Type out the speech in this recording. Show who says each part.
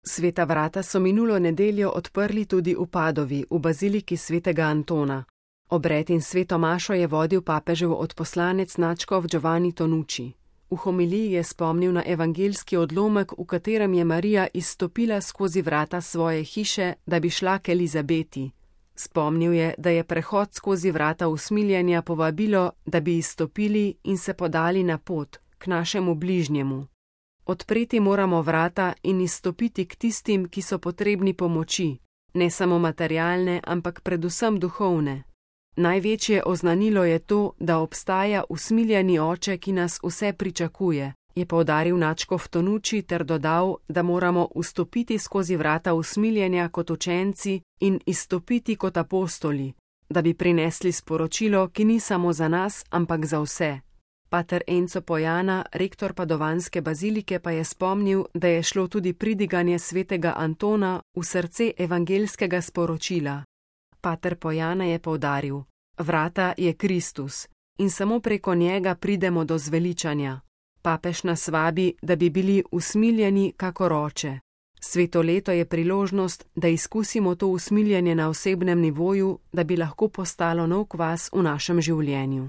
Speaker 1: Sveta vrata so minulo nedeljo odprli tudi v Padovi, v baziliki svetega Antona. Obred in sveto mašo je vodil papežev odposlanec nadškof Giovanni Tonucci. V homiliji je spomnil na evangeljski odlomek, v katerem je Marija izstopila skozi vrata svoje hiše, da bi šla k Elizabeti. Spomnil je, da je prehod skozi vrata usmiljenja povabilo, da bi izstopili in se podali na pot k našemu bližnjemu. Odpreti moramo vrata in izstopiti k tistim, ki so potrebni pomoči, ne samo materialne, ampak predvsem duhovne. Največje oznanilo je to, da obstaja usmiljeni oče, ki nas vse pričakuje, je poudaril nadškof Tonucci ter dodal, da moramo vstopiti skozi vrata usmiljenja kot učenci in izstopiti kot apostoli, da bi prinesli sporočilo, ki ni samo za nas, ampak za vse. Pater Enzo Pojana, rektor padovanske bazilike, pa je spomnil, da je šlo tudi pridiganje svetega Antona v srce evangeljskega sporočila. Pater Pojana je poudaril: vrata je Kristus in samo preko njega pridemo do zveličanja. Papež nas vabi, da bi bili usmiljeni kakor oče. Sveto leto je priložnost, da izkusimo to usmiljenje na osebnem nivoju, da bi lahko postalo nov kvas v našem življenju.